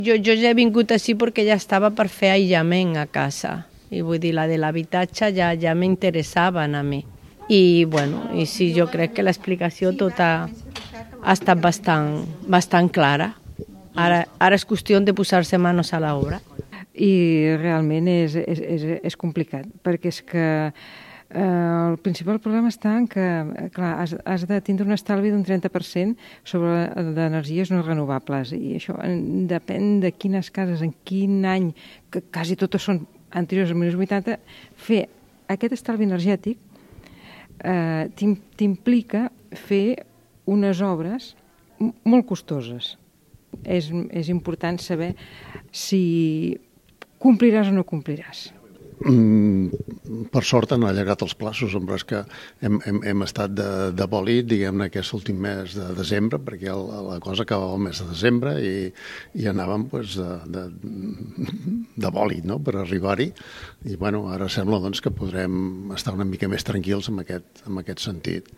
Jo ja he vingut així perquè ja estava per fer aïllament a casa. I vull dir, la de l'habitatge ja m'interessava a mi. I sí, jo crec que l'explicació tota ha estat bastant clara. Ara és qüestió de posar-se manos a l'obra. I realment és complicat, perquè és que el principal problema està en que, clar, has de tindre un estalvi d'un 30% sobre d'energies no renovables, i això depèn de quines cases, en quin any, que quasi totes són anteriors als 1980, fer aquest estalvi energètic t'implica fer unes obres molt costoses. És important saber si compliràs o no compliràs. Per sort han allargat els plaços, però és que hem estat de bòlit, diguem-ne, aquest últim mes de desembre, perquè la cosa acabava el mes de desembre i anàvem de bòlit, no?, per arribar-hi. I ara sembla que podrem estar una mica més tranquils en aquest sentit.